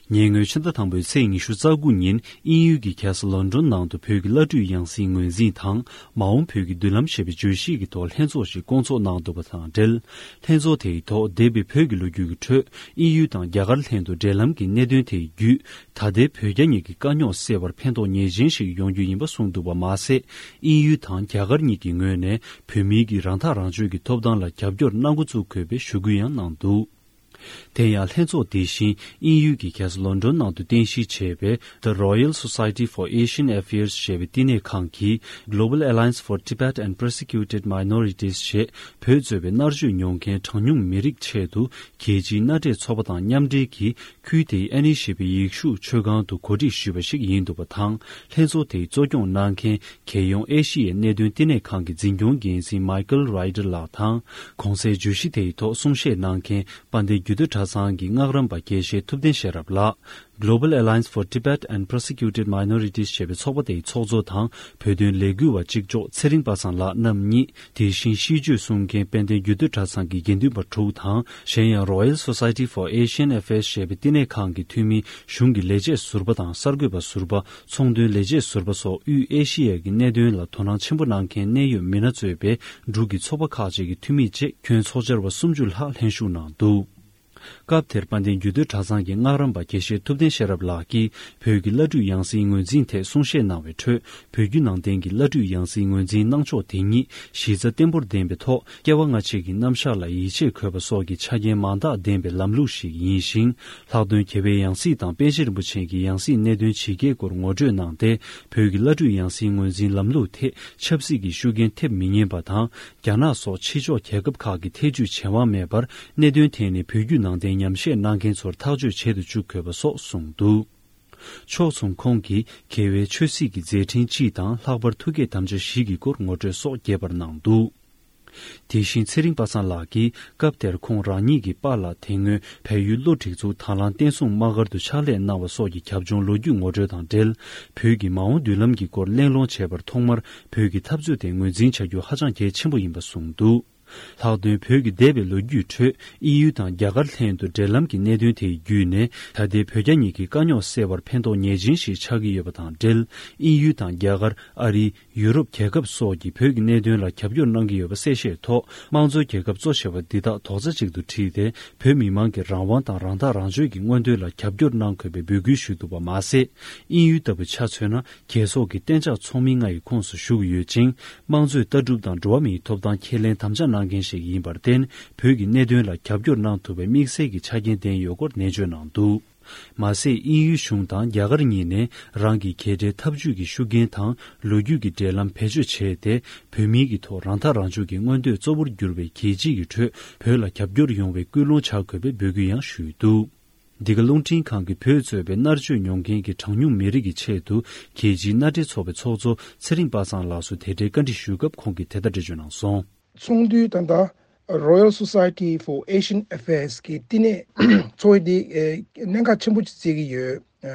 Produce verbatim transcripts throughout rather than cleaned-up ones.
ཉེ་སྔོན་ཕྱི་ཟླ་དང་པོའི་ཚེས་ཉི་ཤུ་རྩ་དགུ་ཉིན་དབྱིན་ཡུལ་གྱི་རྒྱལ་ས་ལོན་ཌོན་ནང་དུ་བོད་ཀྱི་བླ་སྤྲུལ་ཡང་སྲིད་ངོས་འཛིན་དང་མ་འོངས་བོད་ཀྱི་མདུན་ལམ་ཞེས་པའི་བརྗོད་གཞི་གི་ཐོག་ལྷན་ཚོགས་ཤིག་བསྐོང་ཚོགས་གནང་འདུག་པ་དང་འབྲེལ། ལྷན་ཚོགས་དེའི་ཐོག་འདས་པའི་བོད་ཀྱི་ལོ་རྒྱུས་ཀྱི་ཁྲོད་དབྱིན་ཡུལ་དང་རྒྱ་གར་ལྷན་དུ་འབྲེལ་ལམ་གྱི་གནད་དོན་དེ་བརྒྱུད་ད་ལྟའི་བོད་རྒྱ་གཉིས་ཀྱི་དཀའ་རྙོག་སེལ་བར་ཕན་ཐོགས་ངེས་ཅན་ཞིག་ཡོང་རྒྱུ་ཡིན་པ་གསུངས་འདུག་པ་མ་ཟད། དབྱིན་ཡུལ་དང་རྒྱ་གར་གཉིས་ཀྱི་ངོས་ནས་བོད་མིའི་གི་རང་ཐག་རང་གཅོད་ཀྱི་ཐོབ་ཐང་ལ་རྒྱབ་སྐྱོར་གནང་འགོ་བཙུགས་དགོས་པའི་ཞུ་སྐུལ་ཡང་གནང་འདུག་དེ་ཡང་ལྷན་ཚོགས་དེ་བཞིན་དབྱིན་ཡུལ་གྱི་རྒྱལ་ས་ལོན་ཌོན་ནང་དུ་རྟེན་གཞི་བྱས་པའི་The Royal Society for Asian Affairs ཞེས་པའི་བསྟི་གནས་ཁང་གིས་Global Alliance for Tibet and Persecuted Minorities ཞེས་བོད་གཙོས་པའི་མནར་གཅོད་མྱོང་མཁན་གྲངས་ཉུང་མི་རིགས་ཆེད་དུ་རྒྱལ་སྤྱིའི་མནའ་འབྲེལ་ཚོགས་པ་དང་མཉམ་འབྲེལ་གྱིས་ཁུལ་དེའི་ཨ་ནི་ཞེས་པའི་ཡེ་ཤུ་ཆོས་ཁང་དུ་གོ་སྒྲིག་ཞུས་པ་ཞིག་ཡིན་འདུག་པ་དང་། ལྷན་ཚོགས་དེའི་གཙོ་སྐྱོང་གནང་མཁན་རྒྱལ་ཡོངས་ཨེ་ཤི་ཡའི་གནད་དོན་བསྟི་གནས་ཁང་གི་འཛིན་སྐྱོང་འགན་འཛིན་Michael Ryder ལགས་དང་། གོང་གསལ་བརྗོད་གཞི་དེའི་ཐོག་གསུང་བཤད་གནང་མཁན་དཔལ་ལྡན་རྒྱུད་སྟོད་གྲྭ་ཚང་གི་སྔགས་རམས་པ་དགེ་བཤེས་ཐུབ་བསྟན་ཤེས་རབ་ལགས། Global Alliance for Tibet and Persecuted Minorities ཞེས་པའི་ཚོགས་པ་དེའི་ཚོགས་གཙོ་དང་བོད་དོན་ལས་འགུལ་བ་གཅིག་ལྕོགས་ཚེ་རིང་པ་སངས་ལགས་རྣམ་གཉིས། དེ་བཞིན་ཤིས་བརྗོད་གསུང་མཁན་དཔལ་ལྡན་རྒྱུད་སྟོད་གྲྭ་ཚང་གི་དགེ་འདུན་པ་དྲུག་དང་། གཞན་ཡང་Royal Society for Asian Affairs ཞེས་པའི་བསྟི་གནས་ཁང་གི་འཐུས་མི། གཞུང་གི་ལས་བྱེད་ཟུར་པ་དང་གསར་འགོད་པ་ཟུར་པ། ཚོང་དོན་ལས་བྱེད་ཟུར་པ་སོགས་དབུས་ཨེ་ཤི་ཡ་གི་གནད་དོན་ལ་དོ་སྣང་ཆེན་པོ་གནང་མཁན་གནད་ཡོད་མི་སྣ་གཙོས་པའི་འབྲུག་གི་ཚོགས་པ་ཁག་ཅིག་གི་འཐུས་མི་བཅས་ཁྱོན་ཚོགས་བཅར་བ་སུམ་ཅུ་ལྷག་ལྷན་ཞུགས་གནང་འདུག་སྐབས་དེར་དཔལ་ལྡན་རྒྱུད་སྟོད་གྲྭ་ཚང་གི་སྔགས་རམས་པ་དགེ་བཤེས་ཐུབ་བསྟན་ཤེས་རབ་ལགས་ཀྱིས་བོད་ཀྱི་བླ་སྤྲུལ་ཡང་སྲིད་ངོས་འཛིན་ཐད་གསུང་བཤད་གནང་བའི་ཁྲོད། བོད་བརྒྱུད་ནང་བསྟན་གྱི་བླ་སྤྲུལ་ཡང་སྲིད་ངོས་འཛིན་གནང་ཕྱོགས་དེ་ཉིད་གཞི་རྩ་བརྟན་པོར་ལྡན་པའི་ཐོག་སྐྱེ་བ་སྔ་ཕྱི་གི་རྣམ་གཞག་ལ་ཡིད་ཆེས་དགོས་པ་སོགས་ཀྱི་ཆ་རྐྱེན་མང་དག་ལྡན་པའི་ལམ་ལུགས་ཤིག་ཡིན་ཞིང་། ལྷག་དོན་རྒྱལ་བའི་ཡང་སྲིད་དང་པཎ་ཆེན་རིན་པོ་ཆེ་གི་ཡང་སྲིད་གནད་དོན་ཇི་སྐད་སྐོར་ངོ་སྤྲོད་གནང་སྟེ། བོད་ཀྱི་བླ་སྤྲུལ་ཡང་སྲིད་ངོས་འཛིན་ལམ་ལུགས་ཐད་ཆབ་སྲིད་ཀྱི་ཤུགས་རྐྱེན་ཐེབས་མི་ཉན་པ་དང་། རྒྱ་ནག་སོགས་ཕྱི་ཕྱོགས་རྒྱལ་ཁབ་ཁག་གི་ཐེ་ཇུས་བྱེད་དབང་མེད་པར་གནད་དོན་ཐད་ནས་བོད་བརྒྱུད་ནང་བསྟན་ཉམས་བཞེས་གནང་མཁན་ཚོར་ཐག་གཅོད་བྱེད་དུ་བཅུག་དགོས་པ་སོགས་གསུངས་འདུག་ཕྱོགས་མཚུངས་ཁོང་གིས་རྒྱལ་བའི་ཆོས་སྲིད་ཀྱི་མཛད་འཕྲིན་སྤྱི་དང་ལྷག་པར་ཐུགས་བསྐྱེད་དམ་བཅའ་བཞི་གི་སྐོར་ངོ་སྤྲོད་སོགས་རྒྱས་པར་གནང་འདུག་དེ་བཞིན་ཚེ་རིང་པ་སངས་ལགས་ཀྱིས་སྐབས་དེར་ཁོང་རང་ཉིད་ཀྱི་པཱ་ལགས་དེ་སྔོན་བལ་ཡུལ་གློ་སྒྲིག་འཛུགས་དང་བླངས་བསྟན་སྲུང་དམག་སྒར་དུ་ཕྱག་ལས་གནང་བ་སོགས་ཀྱི་རྒྱབ་ལྗོངས་ལོ་རྒྱུས་ངོ་སྤྲོད་དང་འབྲེལ། བོད་ཀྱི་མ་འོངས་མདུན་ལམ་གྱི་སྐོར་གླེང་སློང་བྱས་པར་ཐོག་མར་བོད་ཀྱི་འཐབ་རྩོད་དེ་ངོས་འཛིན་བྱ་རྒྱུ་ཧ་ཅང་གལ་ཆེན་པོ་ཡིན་པ་གསུངས་འདུག་ལྷག་དོན་བོད་ཀྱི་འདས་པའི་ལོ་རྒྱུས་ཁྲོད་དབྱིན་ཡུལ་དང་རྒྱ་གར་ལྷན་དུ་འབྲེལ་ལམ་གྱི་གནད་དོན་དེ་བརྒྱུད་ནས་ད་ལྟའི་བོད་རྒྱ་གཉིས་ཀྱི་དཀའ་རྙོག་སེལ་བར་ཕན་ཐོགས་ངེས་ཅན་ཞིག་ཆགས་ཀྱི་ཡོད་པ་དང་འབྲེལ། དབྱིན་ཡུལ་དང་རྒྱ་གར། ཨ་རི། ཡུ་རོབ་རྒྱལ་ཁབ་སོགས་ཀྱིས་བོད་ཀྱི་གནད་དོན་ལ་རྒྱབ་སྐྱོར་གནང་གི་ཡོད་པ་གསལ་བཤད་ཐོག་དམངས་གཙོའི་རྒྱལ་ཁབ་གཙོ་ཆེ་བ་འདི་དག་རྡོག་རྩ་གཅིག་ཏུ་དྲིལ་ཏེ། བོད་མི་མང་གི་རང་དབང་དང་རང་ཐག་རང་གཅོད་ཀྱི་མངོན་འདོད་ལ་རྒྱབ་སྐྱོར་གནང་དགོས་པའི་འབོད་སྐུལ་ཞུས་འདུག་པ་མ་ཟད། དབྱིན་ཡུལ་ལྟ་བུ་ཆ་མཚོན་ན། རྒྱལ་ཚོགས་ཀྱི་གཏན་འཇགས་ཚོགས་མི་ལྔ་ཡི་ཁོངས་སུ་ཞུགས་ཡོད་ཅིང་། དམངས་གཙོའི་ལྟ་གྲུབ་དང་འགྲོ་བ་མིའི་ཐོབ་ཐང་ཁས་ལེན་དམ་བཅའ་གནང་མཁན་ཞིག་ཡིན་པར་བརྟེན། བོད་ཀྱི་གནད་དོན་ལ་རྒྱབ་སྐྱོར་གནང་ཐུབ་པའི་དམིགས་བསལ་གྱི་ཆ་རྐྱེན་ལྡན་ཡོད་སྐོར་ནན་བརྗོད་གནང་འདུག་མ་ཟད། དབྱིན་ཡུལ་གཞུང་དང་རྒྱ་གར་གཉིས་ནས་རང་གི་རྒྱལ་ཁྲལ་འཐབ་ཇུས་ཀྱི་ཤུགས་རྐྱེན་དང་ལོ་རྒྱུས་ཀྱི་འབྲེལ་ལམ་བེད་སྤྱོད་བྱས་ཏེ། བོད་མིའི་གི་ཐོག་རང་ཐག་རང་གཅོད་ཀྱི་མངོན་འདོད་གཙོ་བོར་གྱུར་པའི་རྒྱལ་སྤྱི་ཡི་ཁྲོད་བོད་ལ་རྒྱབ་སྐྱོར་ཡོང་བའི་སྐུལ་སློང་བྱ་དགོས་པའི་འབོད་སྐུལ་ཡང་ཞུས་འདུག་འདི་ག་རླུང་འཕྲིན་ཁང་གིས་བོད་གཙོས་པའི་མནར་གཅོད་མྱོང་མཁན་གྱི་གྲངས་ཉུང་མི་རིགས་ཀྱི་ཆེད་དུ་རྒྱལ་སྤྱིའི་མནའ་འབྲེལ་ཚོགས་པའི་ཚོགས་གཙོ་ཚེ་རིང་པ་སངས་ལགས་སུ་དེ་འབྲེལ་བཀའ་འདྲི་ཞུས་སྐབས་ཁོང་གིས་དེ་ལྟར་འགྲེལ་བརྗོད་གནང་སོང་། ཚོགས་འདུའི་ད་ལྟ་Royal Society for Asian Affairs གི་བསྟི་གནས་ཚོགས་འདུ་དེ་གནད་འགག་ཆེན་པོ་ཅིག་བརྩི་གི་ཡོད།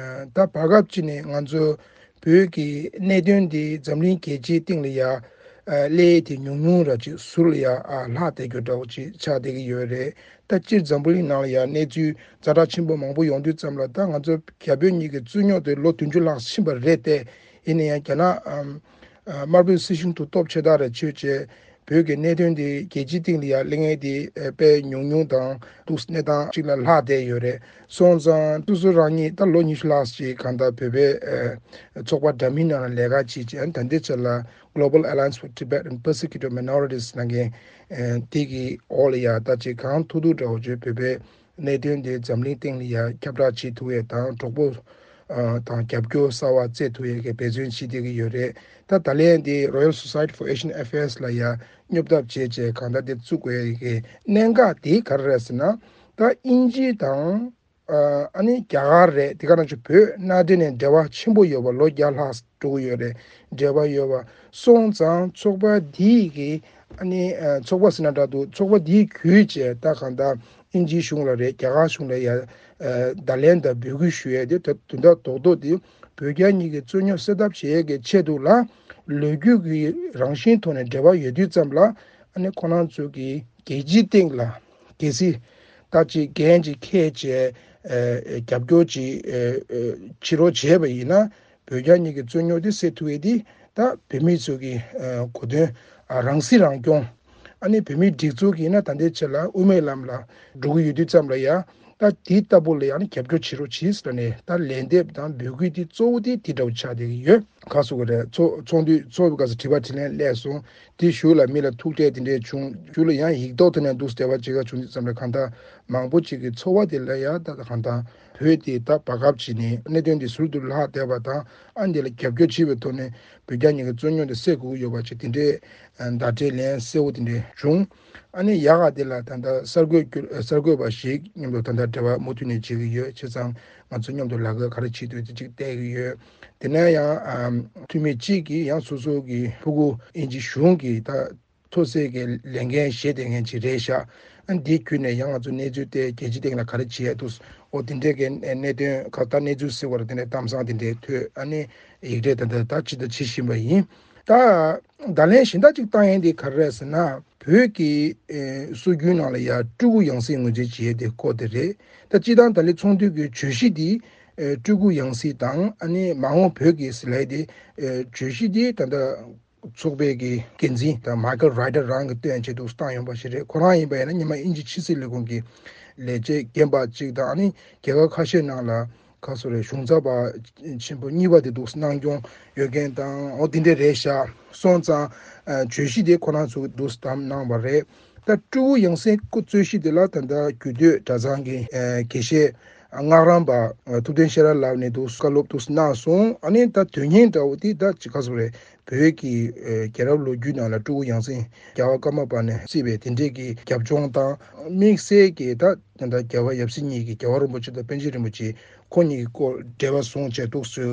ད་བར་སྐབས་ཅིག་ནས་ང་ཚོ་བོད་ཀྱི་གནད་དོན་འདི་འཛམ་གླིང་རྒྱལ་སྤྱིའི་སྟེང་ལ་ཡ་སླེབས་དེ་ཉུང་ཉུང་ར་ཅིག་ཟུར་ལ་ཡ་ལྷག་བསྡད་རྒྱུ་འདྲ་བོ་ཅིག་ཆགས་བསྡད་ཀྱི་ཡོད་རེད། ད་སྤྱིར་འཛམ་བུ་གླིང་ནང་ལ་ཡ་གནས་ཚུལ་ཛ་དྲག་ཆེན་པོ་མང་པོ་ཡོང་དུས་ཙམ་ལ། ད་ང་ཚོ་རྒྱ་བོད་གཉིས་ཀྱི་རྩོད་རྙོག་དེ་ལོ་བདུན་ཅུ་ལྷག་ཕྱིན་པ་རེད་དེ། ཡིན་ན་ཡང་རྒྱ་ནག་དམར་པོའི་སྲིད་གཞུང་དུ་སྟོབས་ཆེ་དྲགས་རེ་བྱས་བྱས། བོད་ཀྱི་གནད་དོན་དེ་རྒྱལ་སྤྱིའི་སྟེང་ལ་ཡ་གླེང་ཡས་དེ་དཔེ་ཉུང་ཉུང་དང་འདུག་གནས་སྟངས་ཅིག་ལ་ལྷག་བསྡད་ཡོད་རེད། སོང་ཙང་སོ་སོ་རང་ཉིད་ད་ལོ་ཉི་ཤུ་ལྷག་ཅིག་གང་ལྟར་བོད་པའི་ཚོགས་པ་འདྲ་མིན་ནང་ལ་ལས་ཀ་བྱེད་ཅིང་། ད་ལྟའི་ཆར་ལ་Global Alliance for Tibet and Persecuted Minorities ནང་གི་དེ་གི་འོག་ལ་ཡ་ད་ཅིག་གང་ཐུབ་ཐུབ་འདྲ་བོ་བྱས་བོད་པའི་གནད་དོན་དེ་འཛམ་གླིང་སྟེང་ལ་ཡ་ཁྱབ་བསྒྲགས་བྱེད་ཐུབ་ཡས་དང་། གྲོགས་པོ་དང་རྒྱབ་སྐྱོར་གསར་བ་བཙལ་ཐུབ་ཡས་ཀྱི་འབད་བརྩོན་བྱེད་བསྡད་ཀྱི་ཡོད་རེད། ད་ད་ལན་དེ་Royal Society for Asian Affairs ལ་ཡ་སྙོབ་ཐབས་བྱས་བྱས་གང་ལྟར་དེ་བཙུགས་དགོས་ཡས་ཀྱི་གནད་འགག་དེ་ག་རེ་རེད་ཟེར་ན། ད་དབྱིན་ཇི་དང་ཨ་ནི་རྒྱ་གར་རེད། དེ་ག་ནང་བཞིན་བོད་མནའ་འབྲེལ་ནས་འབྲེལ་བ་ཆེན་པོ་ཡོད་པ་ལོ་བརྒྱ་ལྷག་འགྲོ་གི་ཡོད་རེད། འབྲེལ་བ་ཡོད་པ་སོང་ཙང་ཚོགས་པ་འདིས་ཀྱི་ཨ་ནི་ཚོགས་པ་ཟེར་ན་འདྲ་འདུག་ཚོགས་པ་འདིས་བརྒྱུད་བྱས་ད་གང་ལྟར་དབྱིན་ཇིའི་གཞུང་ལ་རེད། རྒྱ་གར་གཞུང་ལ་ཡ་བརྡ་ལན་དང་འབོད་སྐུལ་ཞུ་ཡས་དེ་ད་དོན་དག་རྡོག་རྡོག་དེ་བོད་རྒྱ་གཉིས་ཀྱི་རྩོད་རྙོག་སེལ་ཐབས་བྱེད་ཡས་ཀྱི་ཆེད་དུ་ལ་ལོ་རྒྱུས་ཀྱི་རང་བཞིན་ཐོག་ནས་འབྲེལ་བ་ཡོད་དུས་ཙམ་ལ། ཨ་ནི་ཁོ་རང་ཚོ་གི་རྒྱལ་སྤྱིའི་སྟེང་ལ་གལ་སྲིད་ད་ཅིག་འགན་ཅིག་འཁྱེར་བྱས་ རྒྱབ་སྐྱོར་ཅིག་བྱེད་རོགས་བྱས་པ་ཡིན་ན། བོད་རྒྱ་གཉིས་ཀྱི་རྩོད་རྙོག་དེ་སེལ་ཐུབ་ཡས་དེ་ད་བོད་མི་ཚོ་གི་གོ་དོན་རང་སྲིད་རང་སྐྱོང་། ཨ་ནི་བོད་མིའི་སྒྲིག་འཛུགས་ཀྱིས་ན་ད་ལྟའི་ཆ་ལ་དབུ་མའི་ལམ་ལ་འགྲོ་གི་ཡོད་དུས་ཙམ་ལ་ཡ། ད་དེ་ལྟ་བུ་ལ་ཡང་ནི་རྒྱབ་སྐྱོར་བྱེད་རོགས་གྱིས་ཟེར་ནས་ད་ལན་འདེབས་དང་འབོད་སྐུལ་དེ་གཙོ་བོ་དེ་དེ་འདྲ་བོ་ཆགས་བསྡད་ཀྱི་ཡོད། ག་སོ་གི་རེད། ཚོགས་ཚོགས་འདུ་ཚོགས་པའི་སྐབས་སུ་དྲི་བ་དྲིས་ལན་སླེབས་སོང་། དེ་གཞུག་ལ་མི་ལ་ཐུག་འཕྲད་དེ་འདྲས་བྱུང་། གཞུག་ལ་ཡང་ཡིག་ཐོག་ཐོག་ནས་འདུག་སེ་འབྲེལ་བ་བྱེད་ཀ་བྱུང་དུས་ཙམ་ལ་གང་ལྟར་མང་པོ་ཅིག་གི་ཚོར་བ་དེ་ལ་ཡང་ད་གང་ལྟར་བོད་དེ་ད་བར་སྐབས་ཅིག་ནས་གནད་དོན་འདི་ཟུར་དུ་ལྷག་བསྡད་པ་དང་། ཨ་འདི་ལ་རྒྱབ་སྐྱོར་བྱེད་པའི་ཐོག་ནས་བོད་རྒྱ་གཉིས་ཀྱི་རྩོད་རྙོག་འདི་སེལ་དགོས་ཀྱི་ཡོད་པ་ཅིག་དེ་འདྲས་བརྡ་སྤྲོད་ལན་གསལ་བོ་དེ་འདྲས་བྱུང་། ཨ་ནི་ཡག་ག་དེ་ལ་ད་ལྟ་གསར་འགོད་རྒྱུ་གསར་འགོད་པ་ཞིག་མཉམ་དུ་ད་ལྟ་འབྲེལ་བ་མུ་མཐུད་ནས་བྱེད་ཀྱི་ཡོད། བྱས་ཙང་ང་ཚོ་མཉམ་དུ་ལས་ཀ་ག་རེ་བྱེད་འདོད་དེ་ཅིག་བལྟ་གི་ཡོད། དེ་ནས་ཡང་ཨམ་འཐུས་མི་གཅིག་གིས་ཡང་སོ་སོ་གི་ཕྲུ་གུ་དབྱིན་ཇི་གཞུང་གི་ད་མཐོ་ཚད་ཀྱི་ལས་འགན་བཞེས་བསྡད་མཁན་ཅིག་རེད་ཤག་ཨ་འདི་བརྒྱུད་ནས་ཡང་ང་ཚོ་གནས་ཚུལ་དེ་རྒྱལ་སྤྱི་སྟེང་ལ་ག་རེ་བྱེད་ཡ་འདུག་འོ་དེ་འདྲས་ཀྱི་གནད་དོན་ཁག་ད་གནས་ཚུལ་ཟེར་བ་རེད། དེ་འདྲས་གཏམ་བཟང་དེ་འདྲས་ཐོས། ཨ་ནི་ཡིག་འབྲེལ་ད་ལྟ་ད་ཅི་ད་བྱེད་བཞིན་པ་ཡིན། ད་བརྡ་ལན་གཞན་དག་ཅིག་བཏང་ཡས་འདི་ག་རེ་རེད་ཟེར་ན། བོད་ཀྱི་ཨེ་སྲོལ་རྒྱུན་ནང་ལ་ཡ་སྤྲུལ་སྐུ་ཡང་སྲིད་ངོས་འཛིན་བྱེད་ཡས་དེ་སྐོར་དེ་རེད། ད་སྤྱིར་བཏང་ད་ལན་ཚོགས་འདུ་གི་བརྗོད་གཞི་འདི་ཨེ་སྤྲུལ་སྐུ་ཡང་སྲིད་དང་། ཨ་ནི་མ་འོངས་བོད་ཀྱི་ཟེར་ལབ་ཡས་དེ་ཨེ་བརྗོད་གཞི་འདི་ད་ལྟ་ཚོགས་པའི་གི་འགན་འཛིན་དང་མའི་ཁལ་རའི་ཏར་རང་གིས་བཏོན་བྱས་འདུག་སེ་བཏང་ཡོང་པ་ཞིག་རེད། ཁོ་རང་ཡིན་པ་ཡིན་ན་སྔོན་མ་དབྱིན་ཇི་ཕྱི་སྲིད་ལས་ཁུངས་ཀྱི་ལས་བྱེད་རྒན་པ་གཅིག་དང་། ཨ་ནི་རྒྱལ་ཁབ་ཁ་ཤས་ནང་ལ་ག་སོ་རེད། གཞུང་ཚབ་པ་ཆེན་པོ་གཉིས་པ་དེ་འདུག་སེ་གནང་སྐྱོང་ཡོད་མཁན་དང་། འོ་དེ་འདྲས་རེད་ཤག་སོང་ཙང་ཨ་བརྗོད་གཞི་དེ་ཁོ་རང་ཚོས་འདུག་སེ་བདམས་གནང་བ་རེད། ད་སྤྲུལ་སྐུ་ཡང་སྲིད་སྐོར་རྩོད་གཞི་དེ་ལ་ད་ལྟ་རྒྱུད་སྟོད་གྲྭ་ཚང་གི་ཨ་དགེ་བཤེས་སྔགས་རམས་པ་ཨ་ཐུབ་བསྟན་ཤེས་རབ་ལགས་ནས་འདུག་སེ་བཀའ་སློབ་འདུག་སེ་གནང་སོང་། ཨ་ནི་ད་དོན་སྙིང་འདྲ་བོ་དེ་ད་ཅི་ག་སོ་རེད། བོད་ཀྱི་ཨེ་རྒྱལ་རབས་ལོ་རྒྱུས་ནང་ལ་སྤྲུལ་སྐུ་ཡང་སྲིད་རྒྱལ་བ་ཀརྨ་པ་ནས་གཙོས་པའི་དེ་འདྲས་ཀྱི་རྒྱབ་ལྗོངས་དང་། དམིགས་བསལ་གྱི་ད་ད་ལྟ་རྒྱལ་བ་ཡབ་སྲས་གཉིས་ཀྱིས་རྒྱལ་བ་རིན་པོ་ཆེ་དང་པཎ་ཆེན་རིན་པོ་ཆེ་ཁོ་གཉིས་ཀྱི་སྐོར་འབྲེལ་བ་བཟུང་བྱས་འདུག་སེ་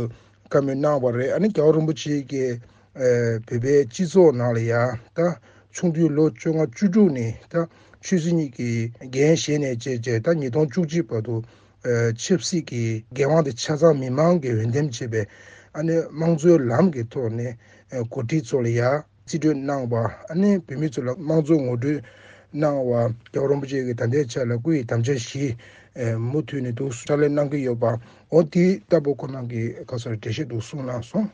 བཀའ་མོལ་གནང་བ་རེད། ཨ་ནི་རྒྱལ་བ་རིན་པོ་ཆེ་གིས་ཨེ་བོད་པའི་སྤྱི་ཚོགས་ནང་ལ་ཡ་ད་ཆུང་དུས་ལོ་བཅོ་ལྔ་བཅུ་དྲུག་ནས་ད་ཆོས་སྲིད་གཉིས་ཀྱི་འགན་བཞེས་ནས་བྱས་བྱས་ད་ཉིས་སྟོང་བཅུ་གཅིག་བར་དུ་ཨ་ཆབ་སྲིད་ཀྱི་འགན་དབང་དེ་ཆ་ཚང་མི་མང་གིས་འོས་འདེམས་བྱས་པའི་ཨ་ནི་དམངས་གཙོའི་ལམ་གྱི་ཐོག་ནས་ཨ་འགོ་ཁྲིད་ཚོ་ལ་ཡ་རྩིས་སྤྲོད་གནང་བ། ཨ་ནི་བོད་མི་ཚོ་ལ་དམངས་གཙོ་ངོ་སྤྲོད་གནང་བ། རྒྱལ་བ་རིན་པོ་ཆེ་གིས་ད་ལྟའི་ཆ་ལ་སྐུ་ཡི་དམ་བཅའ་བཞི་ཨ་མུ་མཐུད་ནས་འདུག་སེ་ཕྱག་ལས་གནང་གི་ཡོད་པ། འོ་དེ་ལྟ་བུ་ཁོ་རང་གིས་ག་སོ་རེད། འགྲེལ་བཤད་འདུག་སེ་གནང་སོང་།